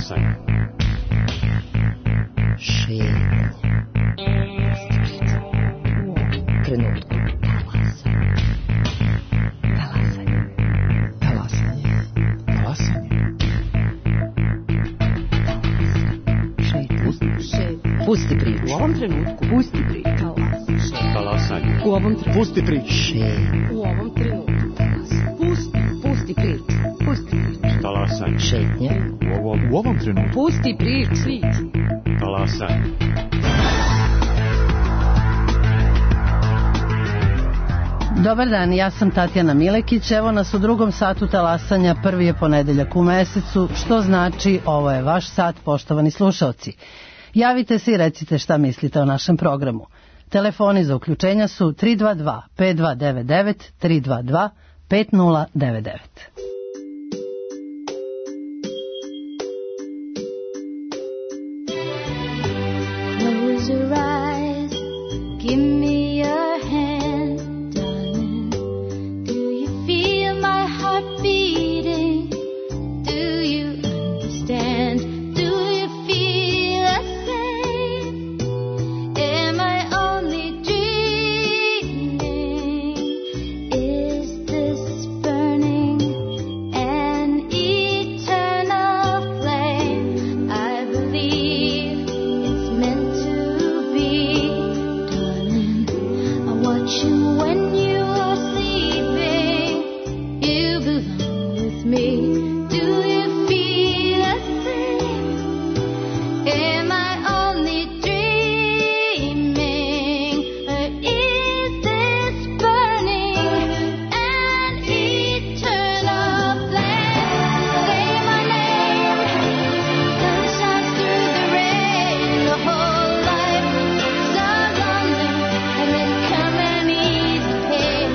Talasanje. Šetnje. Trenutku. Pusti priču. U ovom trenutku. Pusti priču. Talasanje. U ovom trenutku. Pusti priču. U ovom trenutku. Pusti priču. Pusti priču. Talasanje. Šetnje. U ovom trenutku. Pusti priču. Talasanje. Dobar dan, ja sam Tatjana Milekić, evo nas u drugom satu talasanja, prvi je ponedeljak u mesecu, što znači ovo je vaš sat, poštovani slušalci. Javite se i recite šta mislite o našem programu. Telefoni za uključenja su 322 5299 322 5099. Close your eyes, give me your hand, darling. Do you feel my heart beating? Do you understand? Do you feel the same? Am I only dreaming? Is this burning an eternal flame? I believe it's meant to be, darling. I watch you when you are sleeping. You belong with me. Do you feel the same? Am I only dreaming? Or is this burning an eternal flame? Say my name. Sun shines through the rain. The whole life so lonely, and then come and ease the pain.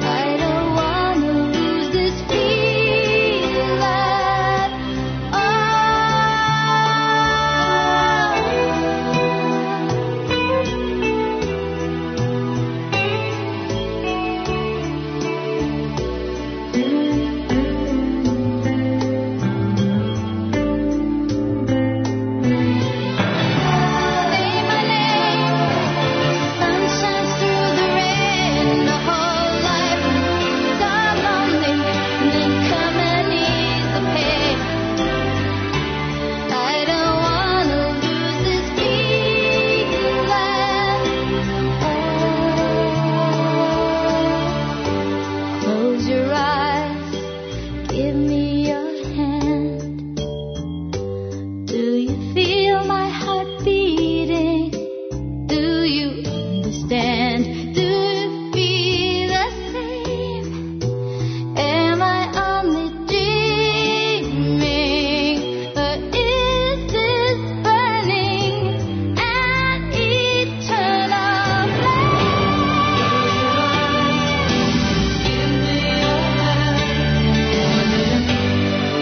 I don't wanna lose this feeling at Say my name. Sun shines through the rain. The whole life so lonely, and then come and ease the pain. I don't wanna lose this feeling at all. Close your eyes, give me your hand. Do you feel my heart beating? Do you understand? Do you feel the same? Am I only dreaming? Or is this burning an eternal flame? Give me your hand.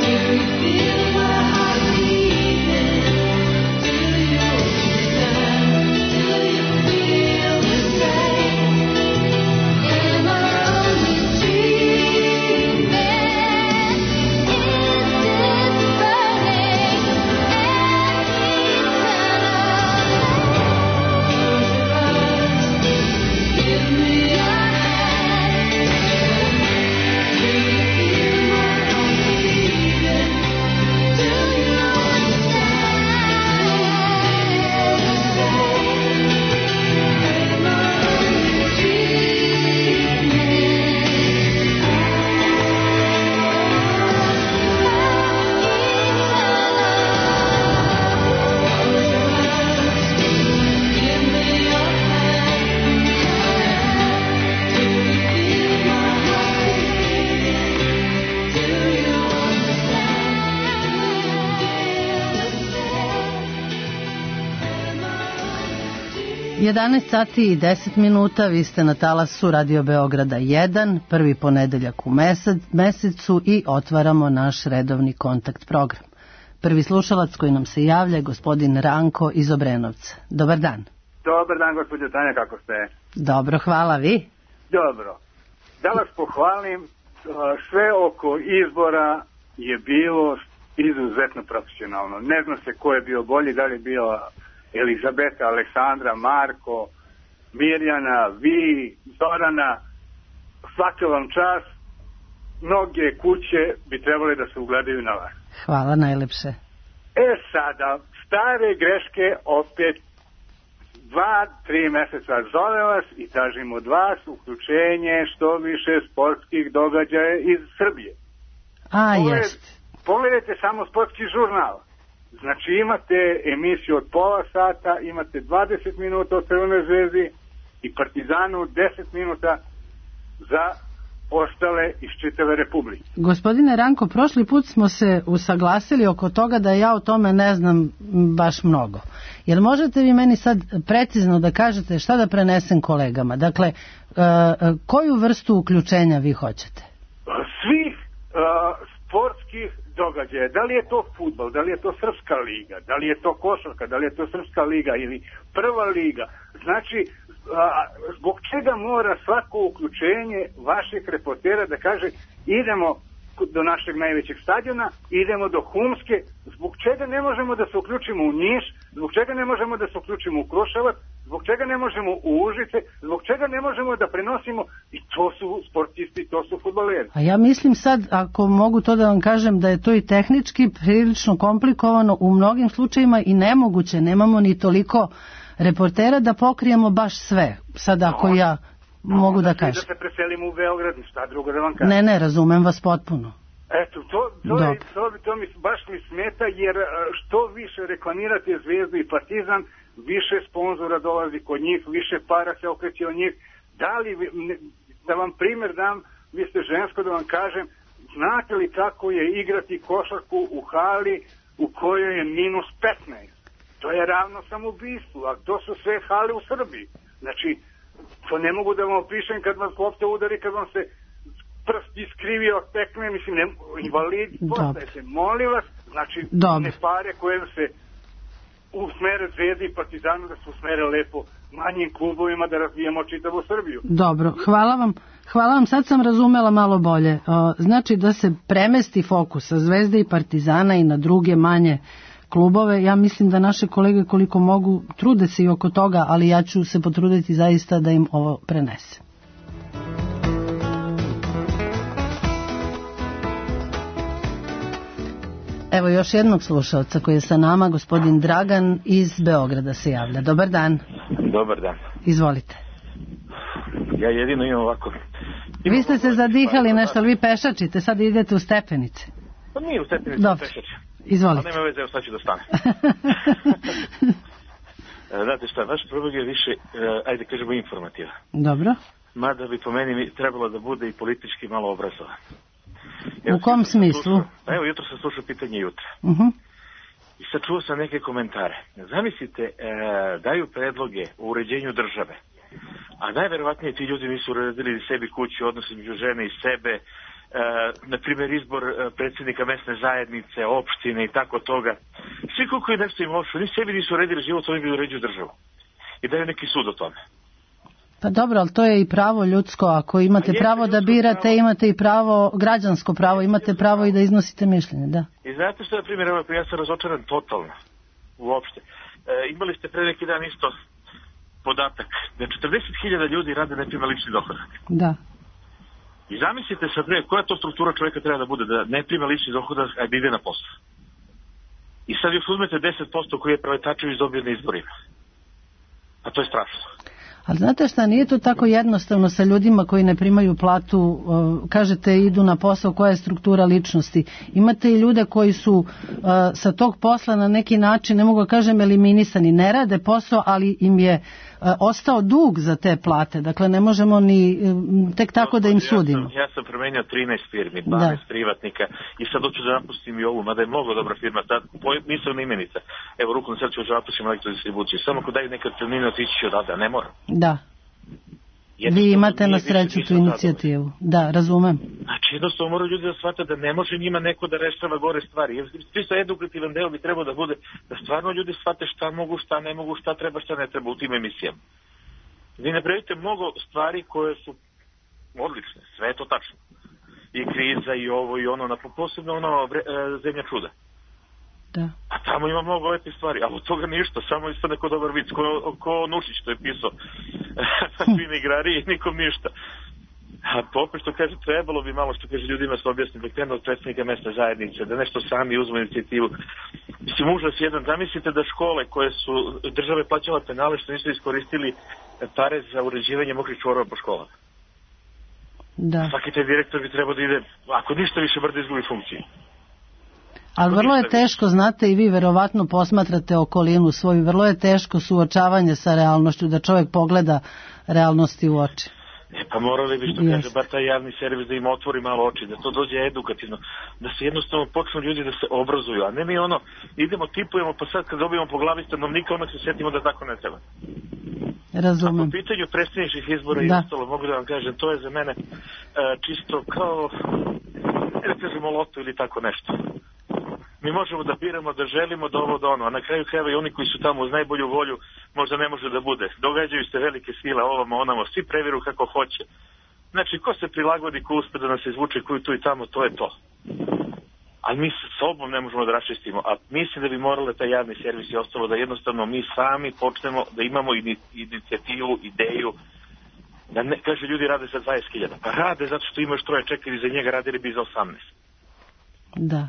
Do you feel my heart beating? Do you understand? Do you feel the same? Am I only dreaming? Is this burning an eternal flame? Give me your hand. Do you feel my heart beating? Do you understand? 11 sati i 10 minuta, vi ste na talasu Radio Beograda 1, prvi ponedeljak u mesecu i otvaramo naš redovni kontakt program. Prvi slušalac koji nam se javlja je gospodin Ranko iz Obrenovca. Dobar dan. Dobar dan, gospođo Tanja, kako ste? Dobro, hvala, vi? Dobro. Da vas pohvalim, sve oko izbora je bilo izuzetno profesionalno. Ne zna se ko je bio bolji, da li je bio Elizabeta, Aleksandra, Marko, Mirjana, vi, Zorana, svaka vam čast. Mnoge kuće bi trebali da se ugledaju na vas. Hvala najlepše. Sada, stare greške opet 2-3 meseca zove vas i tražim od vas uključenje što više sportskih događaja iz Srbije. Pogledajte samo sportski žurnal. Znači imate emisiju od pola sata, imate 20 minuta od Crvenoj zvezdi i Partizanu 10 minuta za ostale iz čitave Republike. Gospodine Ranko, prošli put smo se usaglasili oko toga da ja o tome ne znam baš mnogo. Jer možete vi meni sad precizno da kažete šta da prenesem kolegama? Dakle, koju vrstu uključenja vi hoćete? Svih sportskih događaja. Da li je to fudbal, da li je to srpska liga, da li je to košarka, da li je to srpska liga ili prva liga. Znači, zbog čega mora svako uključenje vašeg reportera da kaže idemo do našeg najvećeg stadiona, idemo do Humske, zbog čega ne možemo da se uključimo u Niš, zbog čega ne možemo da se uključimo u Kruševac, zbog čega ne možemo u Užice, zbog čega ne možemo da prenosimo, i to su sportisti, to su fudbaleri. A ja mislim sad, ako mogu to da vam kažem, da je to i tehnički prilično komplikovano u mnogim slučajima i nemoguće, nemamo ni toliko reportera da pokrijemo baš sve. Sad ako ja mogu da kažem. Da se preselimo u Beograd, šta drugo da vam kažem. Ne, razumem vas potpuno. Eto, to mi baš mi smeta, jer što više reklamirate Zvezdu i Partizan, više sponzora dolazi kod njih, više para se okreće od njih. Da vam primjer dam, vi ste žensko, da vam kažem, znate li kako je igrati košarku u hali u kojoj je minus 15? To je ravno samobistvu, a to su sve hale u Srbiji. Znači, to ne mogu da vam opišem kad vas lopta udari, kad vam se prst iskrivio, tekne, mislim, invalidi, postajete, molim vas, znači, ne pare koje se usmere Zvezdi i Partizanu, da se usmere lepo manjim klubovima da razvijemo čitavu Srbiju. Dobro, hvala vam, sad sam razumela malo bolje. Znači da se premesti fokus sa Zvezde i Partizana i na druge manje klubove. Ja mislim da naše kolege koliko mogu trude se i oko toga, ali ja ću se potruditi zaista da im ovo prenese. Evo još jednog slušalca koji je sa nama, gospodin Dragan iz Beograda se javlja. Dobar dan. Dobar dan. Izvolite. Ja jedino imam ovako... Vi ste se zadihali nešto, ali vi pešačite, sad idete u stepenice. Pa nije u stepenice, pešačim. Izvolite. Ali nema veze, evo sad ću da stane. Znate šta, vaš problem je više, ajde kažemo, informativa. Dobro. Mada bi po meni trebalo da bude i politički malo obrazovan. U kom smislu? Evo, jutro sam slušao pitanje jutra. I sad čuo sam neke komentare. Zamislite, daju predloge o uređenju države, a najverovatnije ti ljudi nisu uredili sebi kuću, odnos između žene i sebe, na primjer izbor predsjednika mesne zajednice, opštine i tako toga. Svi koliko je nešto im lošo, ni sebi nisu uredili život, oni bi uređuju državu. I daju neki sud o tome. Pa dobro, ali to je i pravo ljudsko. Ako imate pravo da birate, pravo, imate i pravo, građansko pravo, imate pravo i da iznosite mišljenje, da. I znate što, na primjer, ja sam razočaran totalno, uopšte. Imali ste pre neki dan isto podatak da 40.000 ljudi rade ne prima lični dohodak. Da. I zamislite sad, koja to struktura čovjeka treba da bude, da ne prima lični dohodak, a da ide na posao. I sad još uzmete 10% koji je Preletačević dobio na izborima. A to je strašno. Ali znate šta, nije to tako jednostavno sa ljudima koji ne primaju platu, kažete idu na posao, koja je struktura ličnosti. Imate i ljude koji su sa tog posla na neki način, ne mogu da kažem eliminisani, ne rade posao, ali im je ostao dug za te plate. Dakle, ne možemo ni tek tako da im sudimo. Ja sam promenio 13 firmi, 12 privatnika i sad hoću da napustim i ovu, mada je mnogo dobra firma, nisam imenica. Evo, ruku na srcu, zapustim elektrodistribuciju. Samo ako daju neke otpremnine, otići ću odavde, ne moram. Da. Vi imate na sreću tu inicijativu. Da, razumem. Znači, jednostavno moraju ljudi da shvate da ne može njima neko da rešava gore stvari. Čisto edukativan deo bi trebao da bude da stvarno ljudi shvate šta mogu, šta ne mogu, šta treba, šta ne treba u tim emisijama. Vi napravite mnogo stvari koje su odlične, sve je to tačno. I kriza, i ovo, i ono, posebno ono Zemlja čuda. Da. A tamo ima mnogo lepih stvari, ali od toga ništa, samo isto neko dobar vic, ko Nušić to je pisao. Svim igrari i nikom ništa. A to opet što kaže, trebalo bi malo što kaže ljudima se objasniti, da krenu od predstavnika mesne zajednice, da nešto sami uzmu inicijativu. Mislim, užas jedan, zamislite da škole koje su države plaćala penale što nisu iskoristili pare za uređivanje mokrih čvorova po školama. Da. Svaki taj direktor bi trebao da ide, ako ništa više, bar da izgubi funkciju. Ali vrlo je teško, znate, i vi verovatno posmatrate okolinu svoju, vrlo je teško suočavanje sa realnošću, da čovjek pogleda realnosti u oči. Pa morali bi, što kaže, bar taj javni servis da im otvori malo oči, da to dođe edukativno, da se jednostavno počnu ljudi da se obrazuju, a ne mi idemo, tipujemo, pa sad kad dobijemo po glavi stanovnika, onda se sjetimo da tako ne treba. Razumem. A po pitanju predsjedničkih izbora i ostalo, mogu da vam kažem, to je za mene čisto kao, ne da kažemo loto ili tako nešto. Mi možemo da biramo, da želimo, da ovo, da ono, a na kraju krajeva i oni koji su tamo uz najbolju volju možda ne može da bude. Događaju se velike sile, ovamo, onamo, svi previru kako hoće. Znači, ko se prilagodi, ko uspe da nas izvuče, koji tu i tamo, to je to. Ali mi sa sobom ne možemo da raščistimo, a mislim da bi morale taj javni servis i ostalo da jednostavno mi sami počnemo da imamo inicijativu, ideju, da ne, kaže, ljudi rade za 20.000, pa rade zato što imaš troje čekali za njega, radili bi za 18. Da.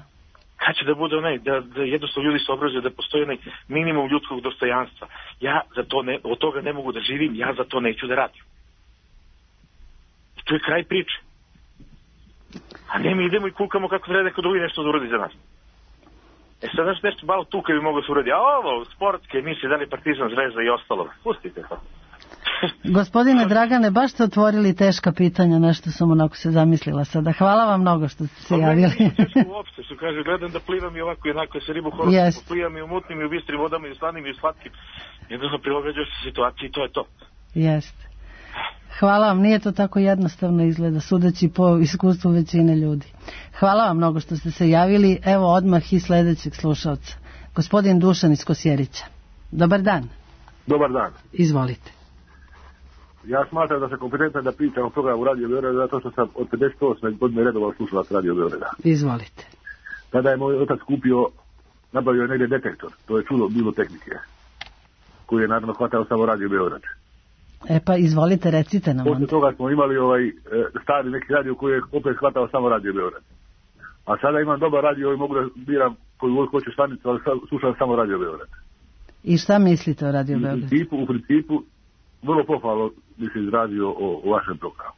Kad će da bude onaj, da jednostavno ljudi se obrazuju, da postoji onaj minimum ljudskog dostojanstva. Ja za to od toga ne mogu da živim, ja za to neću da radim. I to je kraj priče. A ne mi idemo i kukamo kako treba neko drugi nešto da uradi za nas. Sad znaš nešto malo tu kad bi moglo se uradi. A ovo, sportske emisije, da li Partizan, Zvezda i ostalo. Pustite to. Gospodine Dragane, baš ste otvorili teška pitanja, nešto sam onako se zamislila sada. Hvala vam mnogo što ste se javili. Teško uopšte, što kaže, gledam da plivam i ovako i onako, se ribu horoskopu, plivam i u mutnim i u bistrim vodama i u slanim i u slatkim. Jednostavno prilagođaš se situaciji i to je to. Jeste. Hvala vam, nije to tako jednostavno izgleda, sudeći po iskustvu većine ljudi. Hvala vam mnogo što ste se javili. Evo odmah i sledećeg slušalca. Gospodin Dušan iz Kosjerića. Dobar dan. Dobar dan. Izvolite. Ja smatram da sam kompetentan da pričam o programu Radio Beograda zato što sam od 58. godine redovao slušalac Radio Beograda. Izvolite. Tada je moj otac nabavio je negdje detektor, to je čudo bilo tehnike, koji je naravno hvatao samo Radio Beograd. E pa izvolite, recite nam. Posle toga smo imali stari neki radio koji je opet hvatao samo Radio Beograd. A sada imam dobar radio i mogu da biram koju hoću stanicu, ali slušam samo Radio Beograd. I šta mislite o Radio Beograd? U principu, vrlo pohvalno bi se izrazio o vašem programu.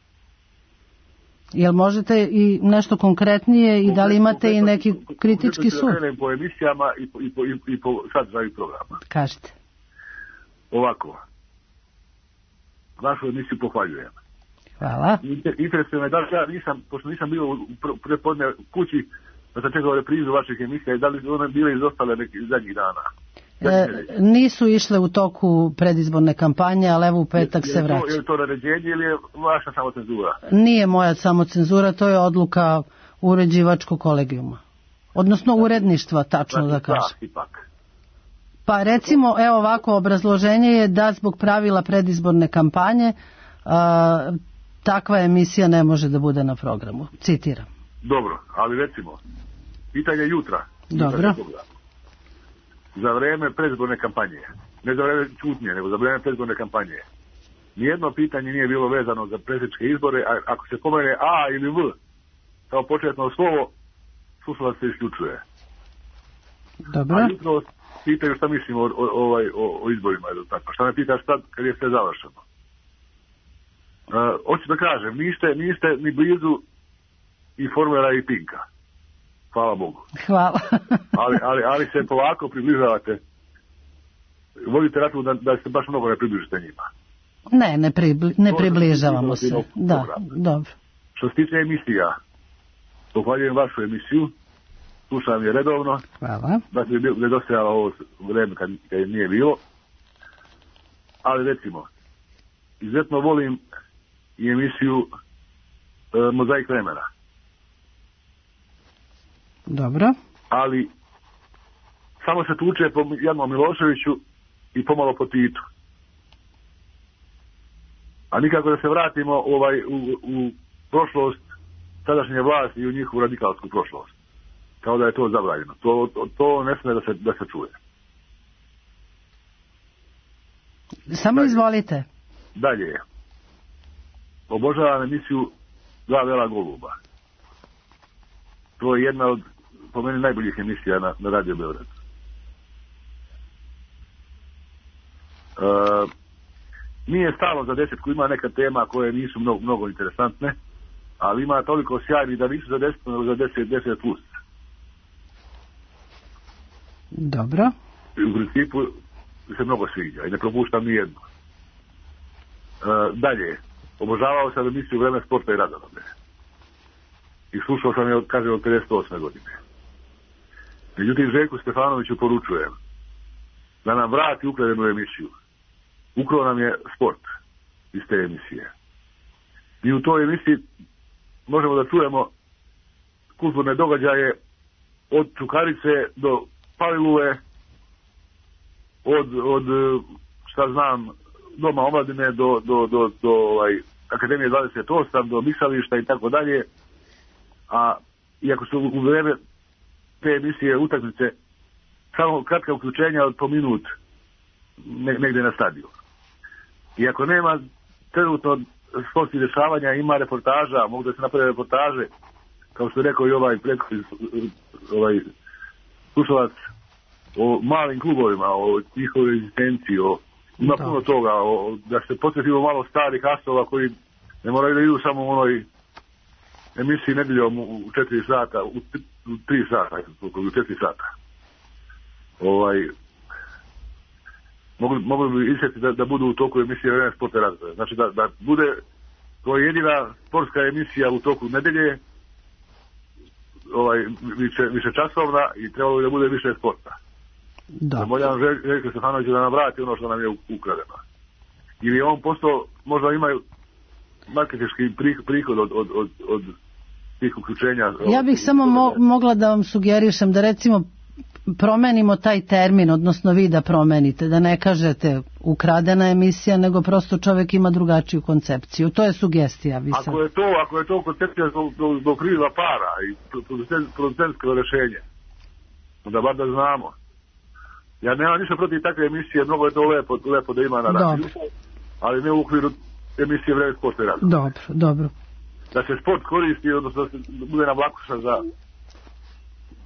Jel možete i nešto konkretnije i da li imate i neki kritički sud? Konkretno po emisijama i po sadržaju programa. Kažete. Ovako. Vašu emisiju pohvaljujem. Hvala. Interesuje me da li ja nisam, pošto nisam bio prepodne kući, da sam čekao reprizu vaših emisija i da li one bile izostale nekih zadnjih dana. Nisu išle u toku predizborne kampanje, ali evo u petak se vraća. Je to naređenje ili je vaša samocenzura? Nije moja samocenzura, to je odluka uređivačkog kolegijuma. Odnosno uredništva, tačno da kažem. Pa recimo, evo ovako, obrazloženje je da zbog pravila predizborne kampanje takva emisija ne može da bude na programu. Citiram. Dobro, ali recimo, pitanje jutra. Dobro. Za vreme predizborne kampanje, ne za vreme čutnje, nego za vreme predizborne kampanje, nijedno pitanje nije bilo vezano za predsjedničke izbore, a ako se pomene A ili V kao početno slovo, slušalac se isključuje. Dobro. A jutro pitaju šta mislim o izborima ili tako. Šta me pitaš sad kad je sve završeno? Hoću da kažem, niste ni blizu i Formera i Pinka. Hvala Bogu. Hvala. ali se polako približavate. Vodite račun da se baš mnogo ne približite njima. Ne približavamo se. Da, dobro. Što se tiče emisija, pohvaljujem vašu emisiju. Slušam je redovno. Hvala. Da se je nedostajalo ovo vreme kad je nije bilo. Ali recimo, izuzetno volim i emisiju Mozaik vremena. Dobro. Ali samo se tuče po Janu Miloševiću i pomalo po Titu. A nikako da se vratimo u prošlost tadašnje vlasti i u njihovu radikalsku prošlost. kao da je to zabranjeno. To ne smije da se čuje. Samo izvolite. Dalje. Obožavam emisiju Dva vela goluba. To je jedna od, po meni, najboljih emisija na Radio Beograd. Nije stalo za desetku, ima neka tema koje nisu mnogo interesantne, ali ima toliko sjajni da nisu za 10, nego za 10 plus. Dobro. U principu se mnogo sviđa i ne propuštam ni jednu. Dalje, obožavao sam emisiju Vreme sporta i razonode. I slušao sam je od 58. godine. Međutim, Željku Stefanoviću poručujem da nam vrati ukradenu emisiju. Ukrao nam je sport iz te emisije. I u toj emisiji možemo da čujemo kulturne događaje od Čukarice do Paliluve, od šta znam, Doma omladine do Akademije 28, do Misališta i tako dalje. A iako su u vreme te emisije utakmice samo kratka uključenja od po minut negdje na stadionu. Iako nema trenutno sportskih dešavanja, ima reportaža, mogu da se naprave reportaže, kao što je rekao i ovaj slušalac, o malim klubovima, o njihovoj egzistenciji, ima puno toga, da se podsjetimo malo starih asova koji ne moraju da idu samo u onoj emisiji nedeljom u 4 sata, u 3 sata, u 4 sata. Mogli bi isjeti da budu u toku emisije Vreme sporta i razonode. Znači da bude to jedina sportska emisija u toku nedelje, više časovna, i trebalo bi da bude više sporta. Zamoljavam Željka Stefanovića da nam vrati ono što nam je ukradeno. Ili on postao, možda imaju marketinški prihod od tih uključenja. Ja bih samo mogla da vam sugerišem da recimo promenimo taj termin, odnosno vi da promenite, da ne kažete ukradena emisija, nego prosto čovjek ima drugačiju koncepciju. To je sugestija. Ako je to koncepcija do kriva para i producentsko rješenje, onda bar da znamo. Ja nemam ništa protiv takve emisije, mnogo je to lepo da ima na radiju, ali ne u okviru emisije Vreme sporta i razonode. Dobro. Da se sport koristi, odnosno da se bude na vlakuša za...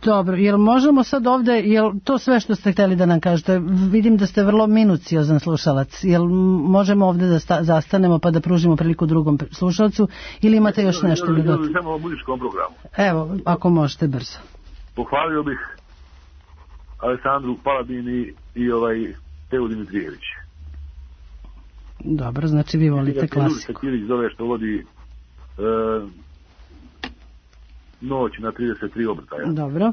Dobro, jel možemo sad ovdje, jel to sve što ste htjeli da nam kažete? Vidim da ste vrlo minuciozan slušalac. Jel možemo ovdje da zastanemo pa da pružimo priliku drugom slušalcu, ili imate još nešto da dodati? Samo o muzičkom programu. Evo, ako možete brzo. Pohvalio bih Aleksandru Paladini i Tevu Dimitrijević. Dobro, znači vi volite klasiku. Kirić zove što vodi Noć na 33 obrtaja. Dobro.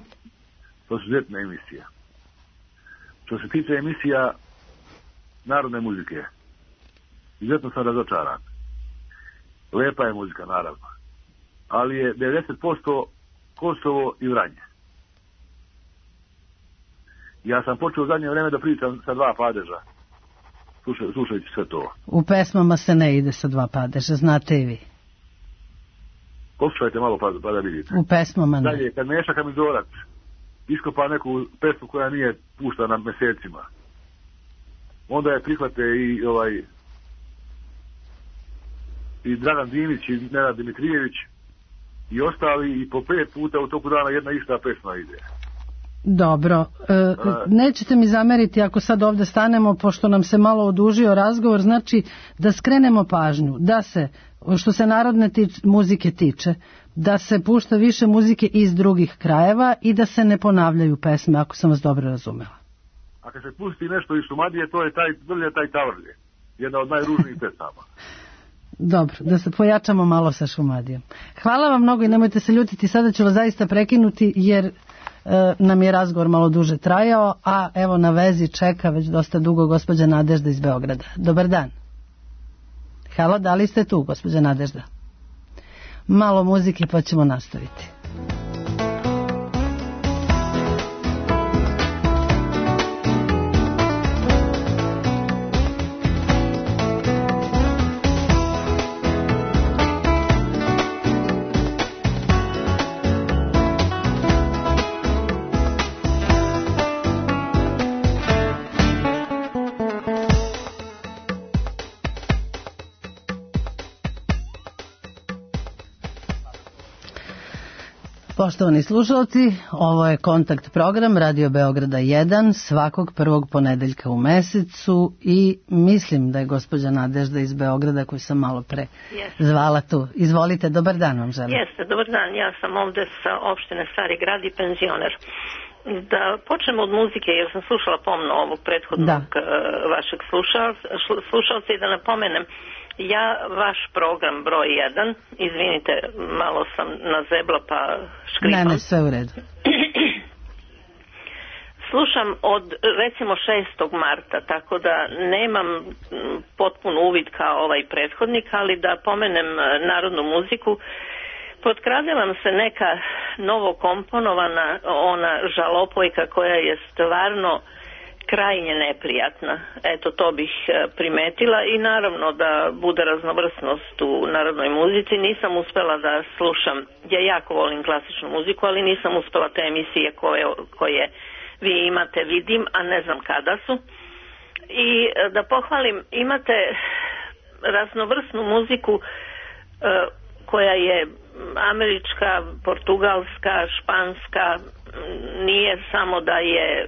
To su izuzetne emisije. Što se tiče emisija narodne muzike, izuzetno sam razočaran. Lepa je muzika, naravno. Ali je 90% Kosovo i Vranje. Ja sam počeo u zadnje vrijeme da pričam sa 2 padeža, slušajući sve to. U pesmama se ne ide sa 2 padeža, znate i vi. Poslušajte malo pa da vidite. U pesmama ne. Dalje, kad Meša Kamizorac iskopa neku pesmu koja nije puštana mjesecima, onda je prihvate i Dragan Dinić i Nenad Dimitrijević i ostali, i po 5 puta u toku dana jedna ista pesma ide. Dobro, nećete mi zameriti ako sad ovdje stanemo, pošto nam se malo odužio razgovor, znači da skrenemo pažnju, da se, što se narodne muzike tiče, da se pušta više muzike iz drugih krajeva i da se ne ponavljaju pesme, ako sam vas dobro razumela. A kad se pusti nešto iz Šumadije, to je taj Tavrlje, jedna od najružnijih pesama. Dobro, da se pojačamo malo sa Šumadijom. Hvala vam mnogo i nemojte se ljutiti, sada ću vas zaista prekinuti jer nam je razgovor malo duže trajao, a evo na vezi čeka već dosta dugo gospođa Nadežda iz Beograda. Dobar dan. Halo, da li ste tu, gospođa Nadežda? Malo muzike pa ćemo nastaviti. Poštovani slušalci, ovo je Kontakt program Radio Beograda 1 svakog prvog ponedeljka u mesecu i mislim da je gospođa Nadežda iz Beograda koju sam malo pre zvala tu. Izvolite, dobar dan vam želim. Jeste, dobar dan, ja sam ovde sa opštine Stari grad i penzioner. Da počnemo od muzike jer sam slušala pomno ovog prethodnog vašeg slušalca i da napomenem, ja vaš program broj 1, izvinite, malo sam nazebla pa škripam. Ne, sve u redu. Slušam od recimo 6. marta, tako da nemam potpun uvid kao ovaj prethodnik, ali da pomenem narodnu muziku. Potkradila nam se neka novo komponovana ona žalopojka koja je stvarno krajnje neprijatna. Eto, to bih primetila i naravno da bude raznovrsnost u narodnoj muzici. Nisam uspela da slušam, ja jako volim klasičnu muziku, ali nisam uspela te emisije koje vi imate, vidim, a ne znam kada su. I da pohvalim, imate raznovrsnu muziku koja je američka, portugalska, španska, nije samo da je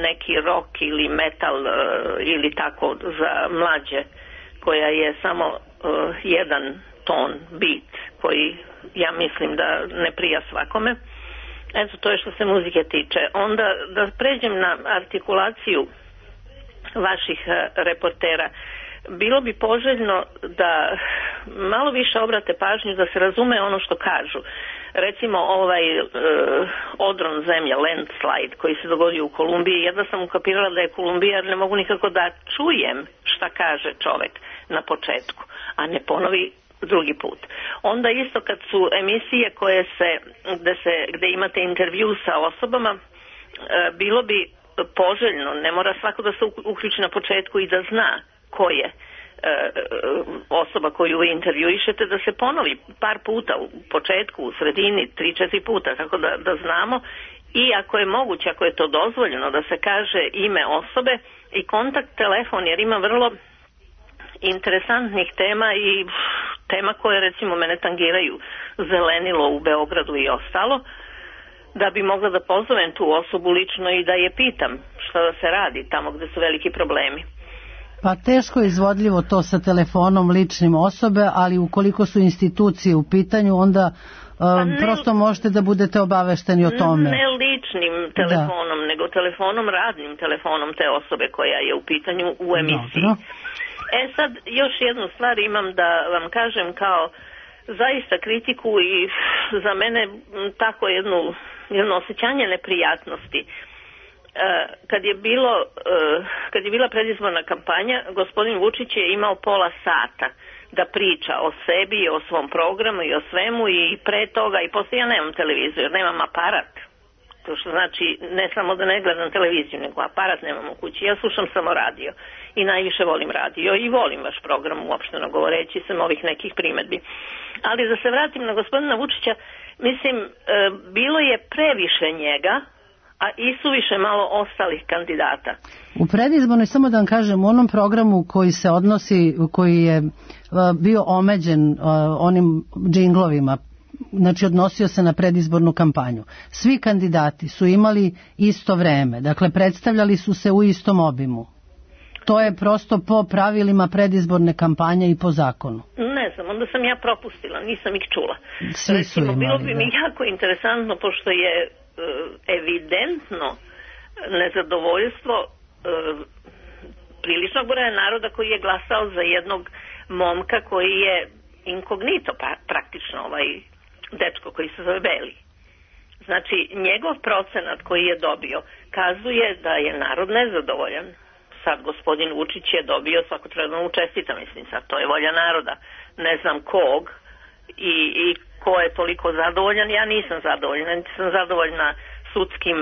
neki rock ili metal ili tako za mlađe, koja je samo jedan ton, beat, koji ja mislim da ne prija svakome. Eto, to je što se muzike tiče. Onda da pređem na artikulaciju vaših reportera. Bilo bi poželjno da malo više obrate pažnju da se razume ono što kažu. Recimo ovaj odron zemlje, landslide, koji se dogodio u Kolumbiji, jedva sam ukapirala da je Kolumbija, jer ne mogu nikako da čujem šta kaže čovek na početku, a ne ponovi drugi put. Onda isto kad su emisije gde imate intervju sa osobama, bilo bi poželjno, ne mora svako da se uključi na početku i da zna ko je osoba koju vi intervjuišete, da se ponovi par puta u početku, u sredini, 3-4 puta, tako da znamo, i ako je moguće, ako je to dozvoljeno, da se kaže ime osobe i kontakt telefon, jer ima vrlo interesantnih tema i tema koje recimo mene tangiraju, zelenilo u Beogradu i ostalo, da bi mogla da pozovem tu osobu lično i da je pitam šta da se radi tamo gde su veliki problemi. Pa teško je izvodljivo to sa telefonom ličnim osobe, ali ukoliko su institucije u pitanju, onda prosto možete da budete obavešteni o tome. Ne ličnim telefonom, nego telefonom, radnim telefonom te osobe koja je u pitanju u emisiji. Dobro. Sad još jednu stvar imam da vam kažem kao zaista kritiku i za mene tako jedno osjećanje neprijatnosti. Kad je bila predizborna kampanja, gospodin Vučić je imao pola sata da priča o sebi, o svom programu i o svemu, i pre toga i posle ja nemam televiziju, jer nemam aparat. To što znači ne samo da ne gledam televiziju, nego aparat nemam u kući. Ja slušam samo radio i najviše volim radio i volim vaš program, uopšteno govoreći, sem ovih nekih primetbi. Ali da se vratim na gospodina Vučića, mislim, bilo je previše njega, a isuviše malo ostalih kandidata. U predizbornoj, samo da vam kažem, u onom programu koji se odnosi, koji je bio omeđen onim džinglovima, znači odnosio se na predizbornu kampanju. Svi kandidati su imali isto vreme, dakle predstavljali su se u istom obimu. To je prosto po pravilima predizborne kampanje i po zakonu. Ne znam, onda sam ja propustila, nisam ih čula. Svi su imali, bilo bi mi jako interesantno, pošto je evidentno nezadovoljstvo priličnog broja naroda koji je glasao za jednog momka koji je inkognito, praktično ovaj dečko koji se zove Beli. Znači, njegov procenat koji je dobio kazuje da je narod nezadovoljan. Sad gospodin Vučić je dobio, svako treba da mu čestita, mislim, sad to je volja naroda, ne znam kog i ko je toliko zadovoljan, ja nisam zadovoljna, nisam zadovoljna sudskim...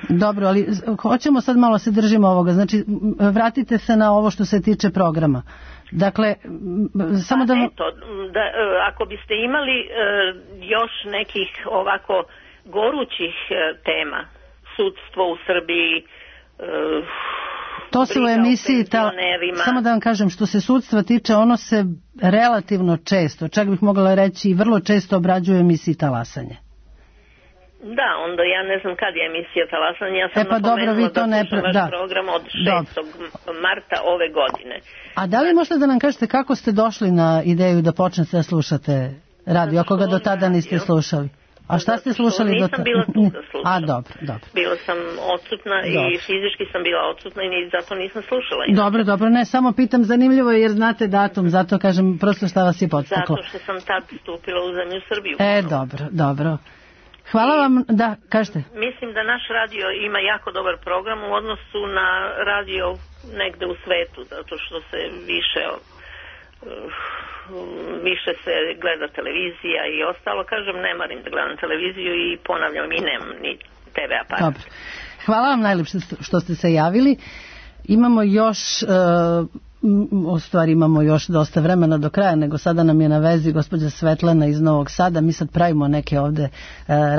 Dobro, ali hoćemo sad malo se držimo ovoga, znači vratite se na ovo što se tiče programa. Dakle, samo da... Eto, ako biste imali još nekih ovako gorućih tema, sudstvo u Srbiji, To se u emisiji, samo da vam kažem, što se sudstva tiče, ono se relativno često, čak bih mogla reći i vrlo često obrađuje u emisiji Talasanje. Da, onda ja ne znam kad je emisija Talasanje, ja sam napomenula da slušam vaš program od 6. marta ove godine. A da li možete da nam kažete kako ste došli na ideju da počnete da slušate radio, ako ga do tada niste slušali? A šta ste slušali do tada? Nisam bila tu da slušam. A, dobro. Bila sam odsutna i fizički sam bila odsutna i zato nisam slušala. Dobro, ne, samo pitam, zanimljivo je jer znate datum, zato kažem prosto šta vas je podstaklo. Zato što sam tad stupila u zemlju Srbiju. Dobro. Hvala vam, da, kažete. Mislim da naš radio ima jako dobar program u odnosu na radio negde u svetu, zato što se više se gleda televizija i ostalo. Kažem, ne marim da gledam televiziju i ponavljam, i nemam ni TV aparat. Dobro. Hvala vam najlepše što ste se javili. Imamo još imamo još dosta vremena do kraja, nego sada nam je na vezi gospođa Svetlana iz Novog Sada. Mi sad pravimo neke ovde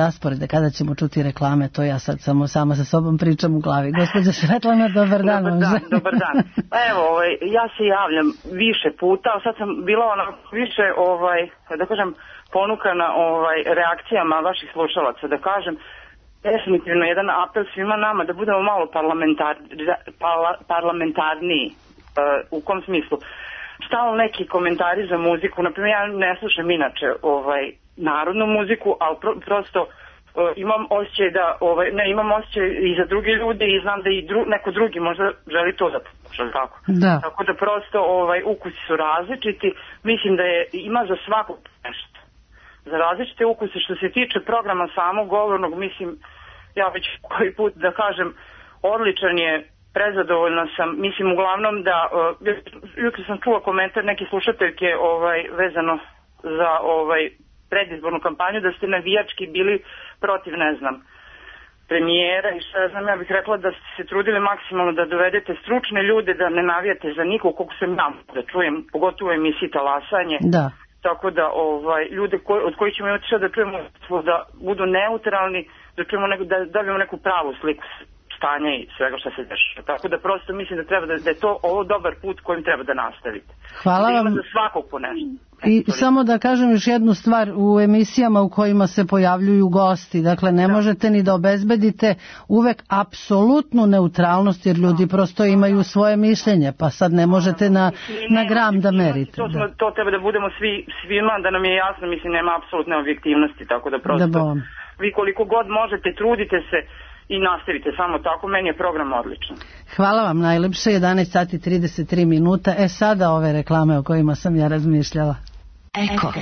rasporede kada ćemo čuti reklame, to ja sad samo sama sa sobom pričam u glavi. Gospođa Svetlana, dobar dan. Dobar dan. Pa evo, ja se javljam više puta, sad sam bila više, da kažem, ponukana reakcijama vaših slušalaca, da kažem, definitivno jedan apel svima nama da budemo malo parlamentarniji. U kom smislu? Stalno neki komentari za muziku, naprimjer ja ne slušam inače narodnu muziku, ali prosto imam osjećaj da imam osjećaj i za druge ljude i znam da i neko drugi možda želi to da sluša, tako? Da. Tako da prosto ukusi su različiti, mislim da ima za svakog nešto. Za različite ukuse. Što se tiče programa samog govornog, mislim, ja već koji put da kažem, odličan je, prezadovoljna sam, mislim uglavnom da, jutro sam čula komentar neke slušateljke vezano za predizbornu kampanju, da ste navijački bili protiv, ne znam, premijera i šta znam, ja bih rekla da ste se trudili maksimalno da dovedete stručne ljude, da ne navijate za nikog, koliko sam ja da čujem, pogotovo u emisiji Talasanje. Da. Tako da ljude od kojih ćemo imati što da čujemo, da budu neutralni, da čujemo da dobijemo neku pravu sliku stanja i svega što se dešava. Tako da prosto mislim da treba da je to ovo dobar put kojim treba da nastavite. Hvala vam. Za svakog po nešto. I samo da kažem još jednu stvar, u emisijama u kojima se pojavljuju gosti, dakle ne možete ni da obezbedite uvek apsolutnu neutralnost, jer ljudi prosto imaju svoje mišljenje, pa sad ne možete na gram da merite. To treba da budemo svima, da nam je jasno, mislim nema apsolutne objektivnosti, tako da prosto vi koliko god možete, trudite se i nastavite samo tako, meni je program odličan. Hvala vam najlepše, 11:33. Sada ove reklame o kojima sam ja razmišljala. Eko.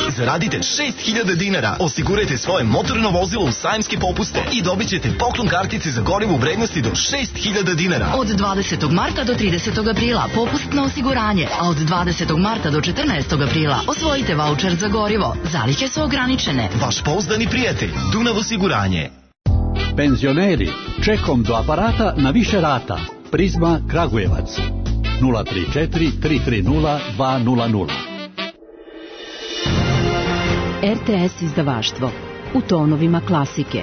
Zaradite 6.000 dinara, osigurajte svoje motorno vozilo u sajamske popuste i dobit ćete poklon kartice za gorivo u vrednosti do 6.000 dinara. Od 20. marta do 30. aprila popust na osiguranje, a od 20. marta do 14. aprila osvojite vaučer za gorivo. Zalihe su ograničene. Vaš pouzdani prijatelj, Dunav osiguranje. Penzioneri, čekom do aparata na više rata. Prizma Kragujevac 034 330 200. RTS izdavaštvo u tonovima klasike.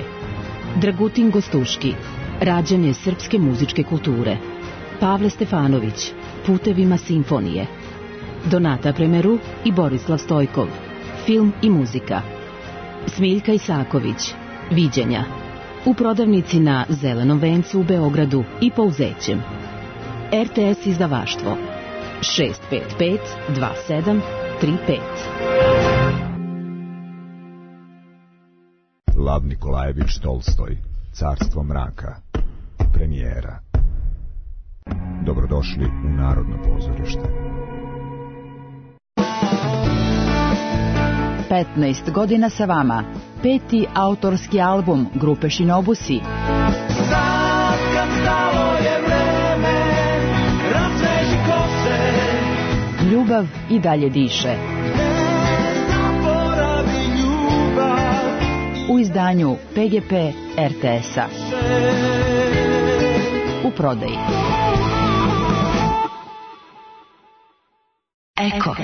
Dragutin Gostuški, rađanje srpske muzičke kulture. Pavle Stefanović, putevima simfonije. Donata Premeru i Borislav Stojkov, film i muzika. Smiljka Isaković, viđenja. U prodavnici na Zelenom vencu u Beogradu i Pouzećem. RTS izdavaštvo 655 2735. Lav Nikolajević Tolstoj, Carstvo mraka, premijera. Dobrodošli u Narodno pozorište. 15 godina sa vama. 5. autorski album grupe Shinobusi. Ljubav i dalje diše. U izdanju PGP RTS-a. U prodaji. Eko.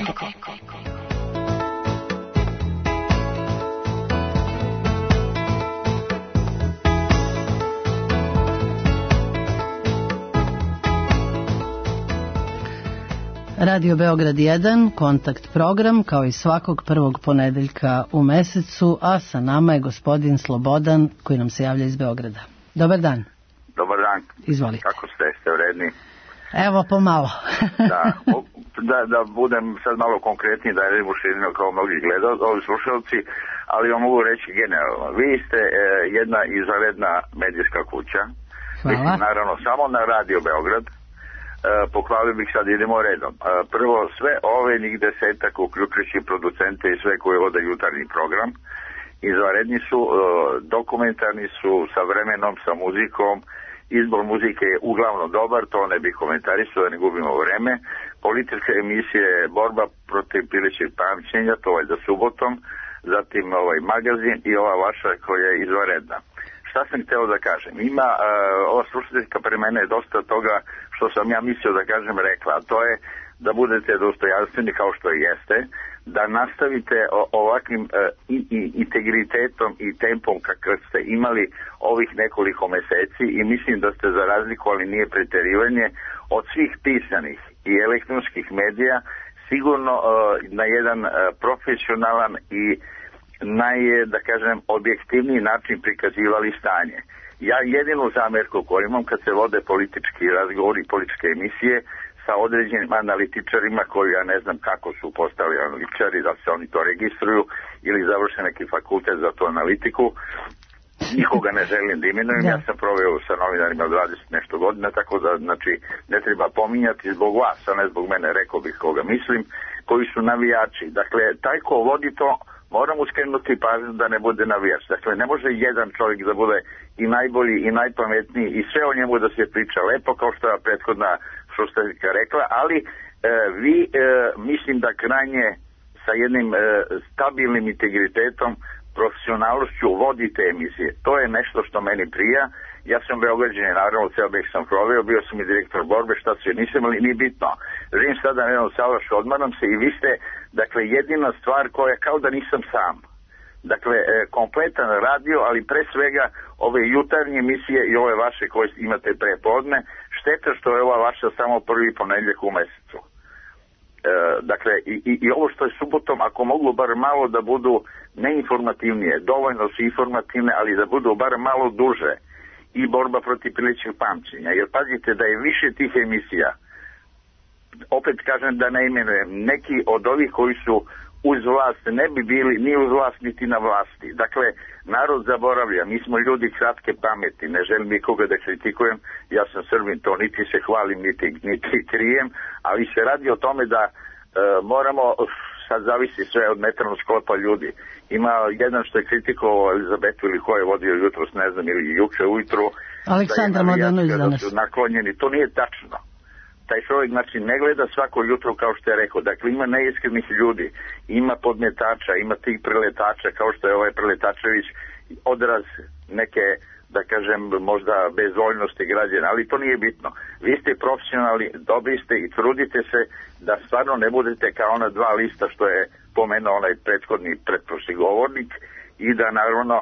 Radio Beograd 1, kontakt program, kao i svakog prvog ponedeljka u mesecu, a sa nama je gospodin Slobodan koji nam se javlja iz Beograda. Dobar dan. Dobar dan. Izvolite. Kako ste vredni? Evo, pomalo. da budem sad malo konkretniji, da ne širino kao mnogi ovi slušalci, ali vam mogu reći generalno. Vi ste jedna izvanredna medijska kuća. Hvala. Mislim, naravno, samo na Radio Beograd. Pohvalio bih, sad idemo redom. Prvo, sve ove njih desetak, uključujući producente i sve koje vode jutarnji program, izvanredni su, dokumentarni su, sa vremenom, sa muzikom. Izbor muzike je uglavnom dobar, to ne bih komentarisao, da ne gubimo vreme. Političke emisije, borba protiv pilećeg pamćenja, to je za subotom, zatim magazin i ova vaša koja je izvanredna. Šta sam hteo da kažem? Ima, ova slušateljka pre mene je dosta toga što sam ja mislio da kažem rekla, a to je da budete dostojanstveni kao što jeste, da nastavite ovakvim integritetom i tempom kakav ste imali ovih nekoliko meseci i mislim da ste za razliku, ali nije preterivanje, od svih pisanih i elektronskih medija sigurno na jedan profesionalan i da kažem, objektivniji način prikazivali stanje. Ja jedinu zamerku koju imam kad se vode politički razgovori, političke emisije sa određenim analitičarima koji ja ne znam kako su postali analitičari, da se oni to registruju ili završe neki fakultet za tu analitiku. Nikoga ne želim da imenujem, ja sam proveo sa novinarima 20 nešto godina, tako da znači ne treba pominjati zbog vas, a ne zbog mene, rekao bih koga mislim, koji su navijači. Dakle, taj ko vodi to, moramo skrenuti pažnju da ne bude navijač. Dakle, ne može jedan čovjek da bude i najbolji i najpametniji i sve o njemu da se priča lepo, kao što je prethodna slušateljka rekla, ali vi mislim da krajnje sa jednim stabilnim integritetom, profesionalnošću vodite emisije. To je nešto što meni prija. Ja sam Beograđanin, naravno, ceo bih sam proveo, bio sam i direktor borbe, šta se nisam, ali nije bitno. Živim sada na jednom Salašu, odmaram se i vi ste, dakle, jedina stvar koja kao da nisam sam. Dakle, kompletan radio, ali pre svega ove jutarnje emisije i ove vaše koje imate prepodne, šteta što je ova vaša samo prvi ponedeljak u mesecu. Dakle, i ovo što je subotom, ako mogu bar malo da budu neinformativnije, dovoljno su informativne, ali da budu bar malo duže, i borba protiv pilećeg pamćenja, jer pazite da je više tih emisija, opet kažem da ne imenujem, neki od ovih koji su uz vlast ne bi bili ni uz vlast niti na vlasti. Dakle, narod zaboravlja, mi smo ljudi kratke pameti, ne želim nikoga da kritikujem, ja sam Srbin, to niti se hvalim, niti krijem, ali se radi o tome da moramo, sad zavisi sve od metalnog sklopa ljudi. Ima jedan što je kritikovao Elizabetu ili ko je vodio jutros, ne znam, ili juče ujutru, Aleksandar Mladenović da su naklonjeni, to nije tačno. Taj čovjek, znači, ne gleda svako jutro kao što je rekao. Dakle, ima neiskrenih ljudi, ima podmetača, ima tih preletača, kao što je ovaj Preletačević, odraz neke, da kažem, možda bezvoljnosti građana, ali to nije bitno. Vi ste profesionalni, dobri ste i trudite se da stvarno ne budete kao ona dva lista što je pomenuo onaj pretprošli govornik i da naravno